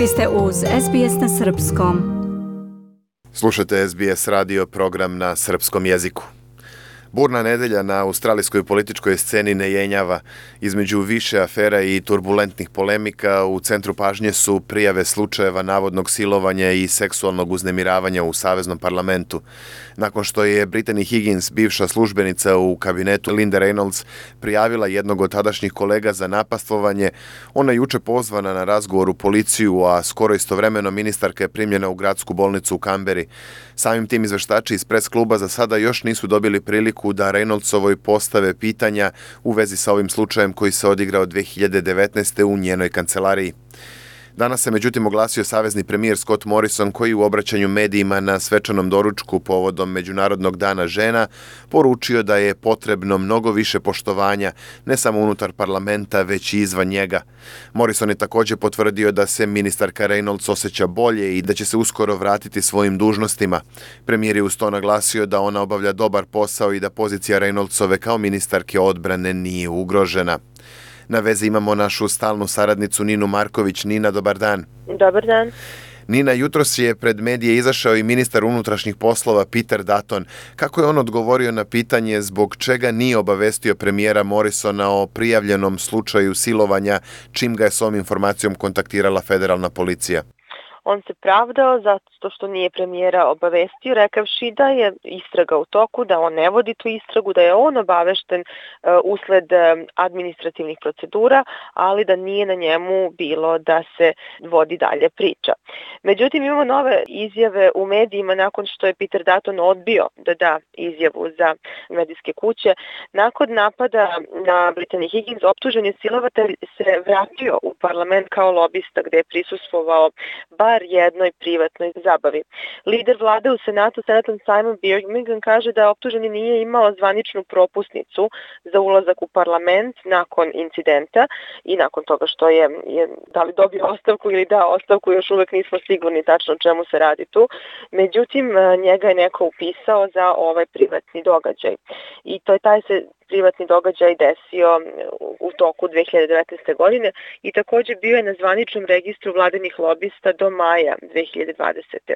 Vi ste uz SBS na Srpskom. Slušate SBS radio program na srpskom jeziku. Burna nedelja na australijskoj političkoj sceni ne jenjava. Između više afera i turbulentnih polemika u centru pažnje su prijave slučajeva navodnog silovanja i seksualnog uznemiravanja u Saveznom parlamentu. Nakon što je Brittany Higgins, bivša službenica u kabinetu Linda Reynolds, prijavila jednog od tadašnjih kolega za napastvovanje, ona je juče pozvana na razgovor u policiju, a skoro istovremeno ministarka je primljena u gradsku bolnicu u Kamberi. Samim tim izveštači iz pres kluba za sada još nisu dobili priliku da Reynoldsovoj postave pitanja u vezi sa ovim slučajem koji se odigrao 2019. u njenoj kancelariji. Danas se međutim oglasio savezni premijer Scott Morrison, koji u obraćanju medijima na svečanom doručku povodom Međunarodnog dana žena poručio da je potrebno mnogo više poštovanja ne samo unutar parlamenta, već i izvan njega. Morrison je također potvrdio da se ministarka Reynolds osjeća bolje i da će se uskoro vratiti svojim dužnostima. Premijer je uz to naglasio da ona obavlja dobar posao i da pozicija Reynoldsove kao ministarke odbrane nije ugrožena. Na vezi imamo našu stalnu saradnicu Ninu Marković. Nina, dobar dan. Dobar dan. Nina, jutros je pred medije izašao i ministar unutrašnjih poslova Peter Dutton. Kako je on odgovorio na pitanje zbog čega nije obavestio premijera Morrisona o prijavljenom slučaju silovanja, čim ga je s ovom informacijom kontaktirala federalna policija? On se pravdao zato što nije premijera obavestio, rekavši da je istraga u toku, da on ne vodi tu istragu, da je on obavešten usled administrativnih procedura, ali da nije na njemu bilo da se vodi dalje priča. Međutim, imamo nove izjave u medijima nakon što je Peter Dutton odbio da da izjavu za medijske kuće. Nakon napada na Brittany Higgins, optuženi silovatelj se vratio u parlament kao lobista gde je prisustvovao bar jednoj privatnoj zabavi. Lider vlade u Senatu, senatan Simon Birmingham, kaže da optuženi nije imao zvaničnu propusnicu za ulazak u parlament nakon incidenta i nakon toga što je da li dobio ostavku ili da ostavku, još uvek nismo sigurni tačno o čemu se radi tu. Međutim, njega je neko upisao za ovaj privatni događaj. I taj se privatni događaj desio u toku 2019. godine i također bio je na zvaničnom registru vladinih lobista do maja 2020.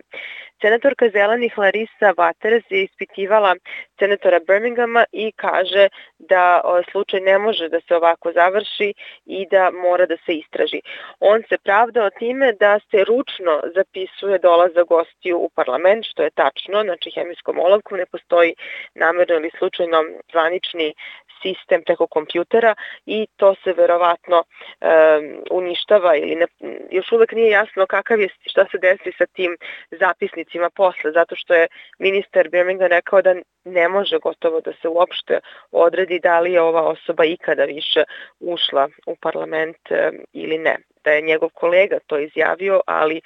Senatorka zelenih Larissa Waters je ispitivala senatora Birminghama i kaže da slučaj ne može da se ovako završi i da mora da se istraži. On se pravdao time da se ručno zapisuje dolazak gostiju u parlament, što je tačno, znači hemijskom olovkom, ne postoji namerno ili slučajno zvanični sistem preko kompjutera i to se verovatno uništava ili ne, još uvek nije jasno šta se desi sa tim zapisnicima posle, zato što je ministar Birmingham rekao da ne može gotovo da se uopšte odredi da li je ova osoba ikada više ušla u parlament ili ne. Da je njegov kolega to izjavio, ali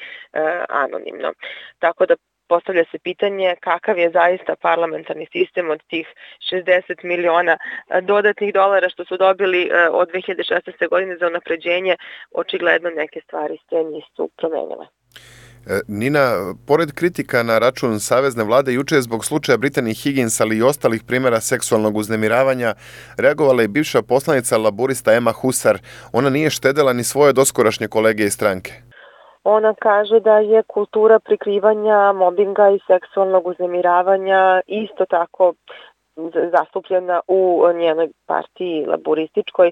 anonimno. Tako da postavlja se pitanje kakav je zaista parlamentarni sistem od tih 60 miliona dodatnih dolara što su dobili od 2016. godine za unapređenje. Očigledno neke stvari se nisu promenile. Nina, pored kritika na račun savezne vlade, juče je zbog slučaja Brittany Higgins, ali i ostalih primjera seksualnog uznemiravanja, reagovala je bivša poslanica laburista Emma Husar. Ona nije štedela ni svoje doskorašnje kolege iz stranke. Ona kaže da je kultura prikrivanja, mobinga i seksualnog uznemiravanja isto tako zastupljena u njenoj partiji laburističkoj.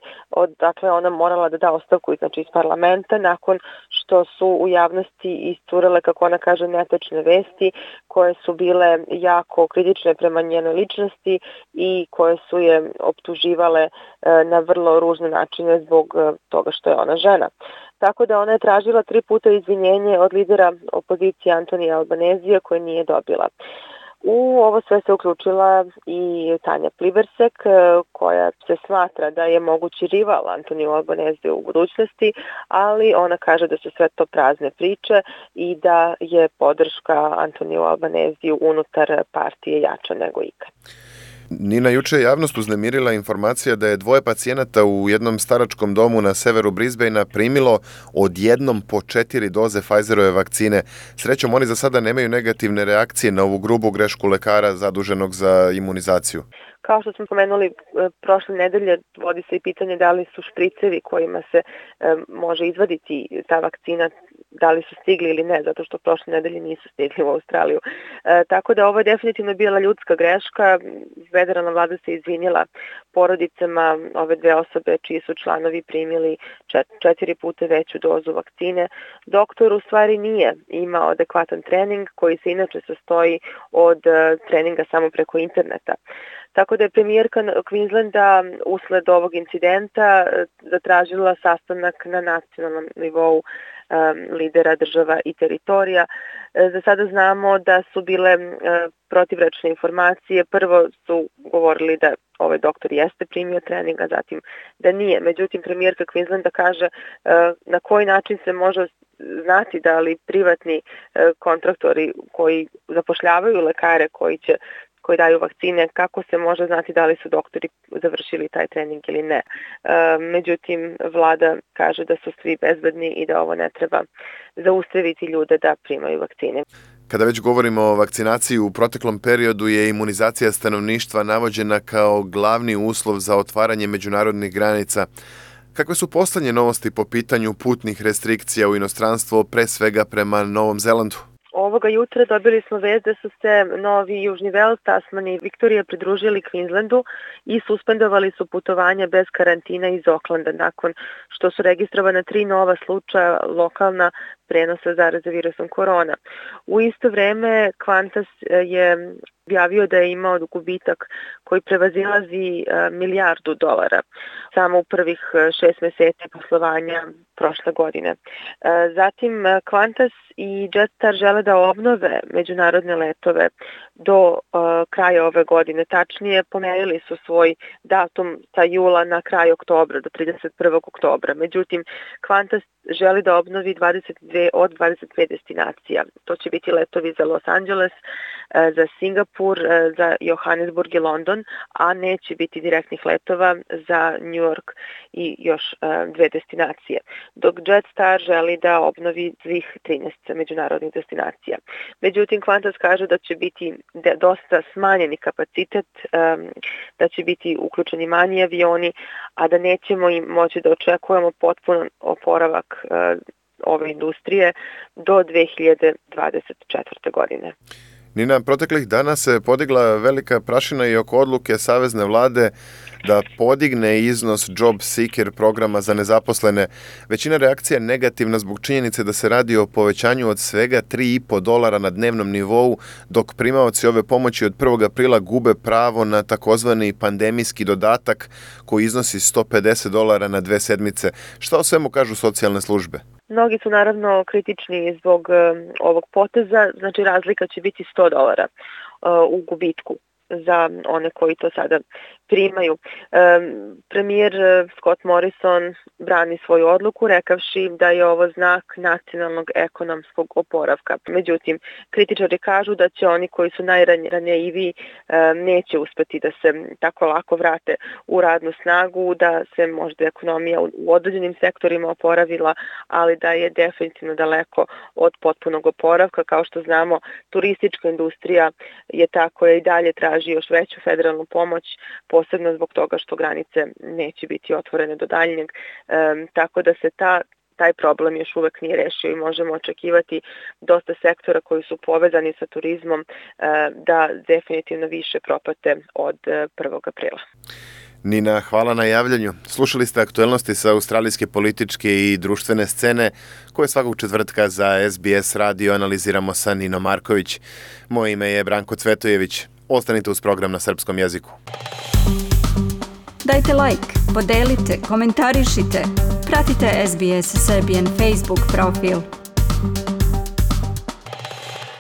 Dakle, ona morala da da ostavku iz parlamenta nakon što su u javnosti iscurele, kako ona kaže, netačne vesti koje su bile jako kritične prema njenoj ličnosti i koje su je optuživale na vrlo ružne načine zbog toga što je ona žena. Tako da ona je tražila 3 puta izvinjenje od lidera opozicije Antonija Albanezija koje nije dobila. U ovo sve se uključila i Tanja Plibersek, koja se smatra da je mogući rival Antoniju Albaneziju u budućnosti, ali ona kaže da su sve to prazne priče i da je podrška Antoniju Albaneziju unutar partije jača nego ikad. Nina, juče je javnost uznemirila informacija da je 2 pacijenata u jednom staračkom domu na severu Brisbanea primilo odjednom po 4 doze Pfizerove vakcine. Srećom, oni za sada nemaju negativne reakcije na ovu grubu grešku lekara zaduženog za imunizaciju. Kao što smo pomenuli prošle nedelje, vodi se i pitanje da li su špricevi kojima se može izvaditi ta vakcina da li su stigli ili ne, zato što prošle nedelje nisu stigli u Australiju. Tako da ovo je definitivno bila ljudska greška. Federalna vlada se izvinjela porodicama ove dve osobe čiji su članovi primili 4 puta veću dozu vakcine. Doktor u stvari nije imao adekvatan trening koji se inače sastoji od treninga samo preko interneta. Tako da je premijerka Queenslanda usled ovog incidenta zatražila sastanak na nacionalnom nivou lidera država i teritorija. Za sada znamo da su bile protivrečne informacije. Prvo su govorili da ovaj doktor jeste primio trening, a zatim da nije. Međutim, premijerka Queenslanda kaže na koji način se može znati da li privatni kontraktori koji zapošljavaju lekare koji daju vakcine, kako se može znati da li su doktori završili taj trening ili ne. Međutim, vlada kaže da su svi bezbedni i da ovo ne treba zaustaviti ljude da primaju vakcine. Kada već govorimo o vakcinaciji, u proteklom periodu je imunizacija stanovništva navođena kao glavni uslov za otvaranje međunarodnih granica. Kakve su poslednje novosti po pitanju putnih restrikcija u inostranstvo, pre svega prema Novom Zelandu? Ovoga jutra dobili smo vest da su se Novi Južni Vels, Tasman i Viktorija pridružili Queenslandu i suspendovali su putovanja bez karantina iz Aucklanda nakon što su registrovana 3 nova slučaja lokalna prenosa zaraze virusom korona. U isto vreme Qantas je objavio da je imao gubitak koji prevazilazi $1 milijardu samo u prvih 6 meseci poslovanja prošle godine. Zatim Qantas i Jetstar žele da obnove međunarodne letove do kraja ove godine. Tačnije, pomerili su svoj datum sa jula na kraj oktobra, do 31. oktobra. Međutim, Qantas želi da obnovi 22 od 25 destinacija. To će biti letovi za Los Angeles, za Singapur, za Johannesburg i London, a neće biti direktnih letova za New York i još 2 destinacije. Dok Jetstar želi da obnovi svih 13 međunarodnih destinacija. Međutim, Qantas kaže da će biti dosta smanjeni kapacitet, da će biti uključeni manji avioni, a da nećemo im moći da očekujemo potpuno oporavak ove industrije do 2024. godine. Nina, proteklih dana se podigla velika prašina i oko odluke Savezne vlade da podigne iznos Job Seeker programa za nezaposlene. Većina reakcija je negativna zbog činjenice da se radi o povećanju od svega $3,5 na dnevnom nivou, dok primaoci ove pomoći od 1. aprila gube pravo na takozvani pandemijski dodatak koji iznosi $150 na 2 sedmice. Šta o svemu kažu socijalne službe? Mnogi su naravno kritični zbog ovog poteza, znači razlika će biti $100 u gubitku za one koji to sada primaju. Premijer Scott Morrison brani svoju odluku rekavši da je ovo znak nacionalnog ekonomskog oporavka. Međutim, kritičari kažu da će oni koji su najranjiviji neće uspeti da se tako lako vrate u radnu snagu, da se možda ekonomija u određenim sektorima oporavila, ali da je definitivno daleko od potpunog oporavka. Kao što znamo, turistička industrija je ta koja i dalje traži još veću federalnu pomoć, posebno zbog toga što granice neće biti otvorene do daljnjeg, tako da se taj problem još uvek nije rešio i možemo očekivati dosta sektora koji su povezani sa turizmom da definitivno više propate od 1. aprila. Nina, hvala na javljanju. Slušali ste aktuelnosti sa australijske političke i društvene scene koje svakog četvrtka za SBS radio analiziramo sa Ninom Marković. Moje ime je Branko Cvetojević. Ostanite uz program na srpskom jeziku. Dajte like, podelite, komentarišite. Pratite SBS Serbian Facebook profil.